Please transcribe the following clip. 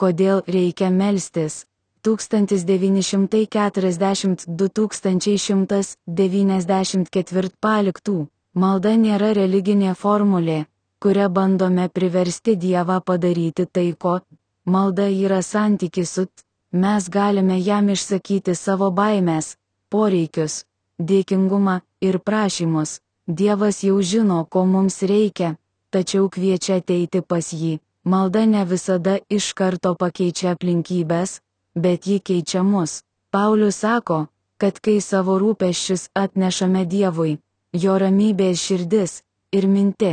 Kodėl reikia melstis? 1942-1194 paliktų. Malda nėra religinė formulė, kuria bandome priversti Dievą padaryti tai, ko. Malda yra santykis su. Mes galime jam išsakyti savo baimes, poreikius, dėkingumą ir prašymus. Dievas jau žino, ko mums reikia, tačiau kviečia ateiti pas jį. Malda ne visada iš karto pakeičia aplinkybės, bet ji keičia mus. Paulius sako, kad kai savo rūpesčius atnešame Dievui, jo ramybės širdis ir minti